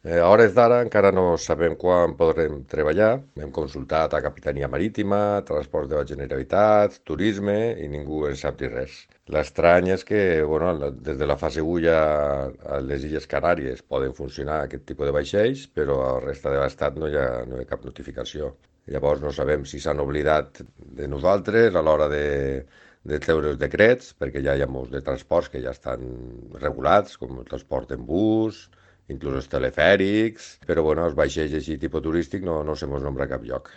A hores d'ara encara no sabem quan podrem treballar. Hem consultat a Capitania Marítima, Transport de la Generalitat, Turisme i ningú en sap dir res. L'estrany és que, bueno, des de la fase 1 ja a les Illes Canàries poden funcionar aquest tipus de vaixells, però a la resta de l'estat no hi ha cap notificació. Llavors no sabem si s'han oblidat de nosaltres a l'hora de treure els decrets, perquè ja hi ha molts de transports que ja estan regulats, com el transport en bus, inclús els telefèrics, però bueno, els vaixells així tipus turístic no se mos nombra a cap lloc.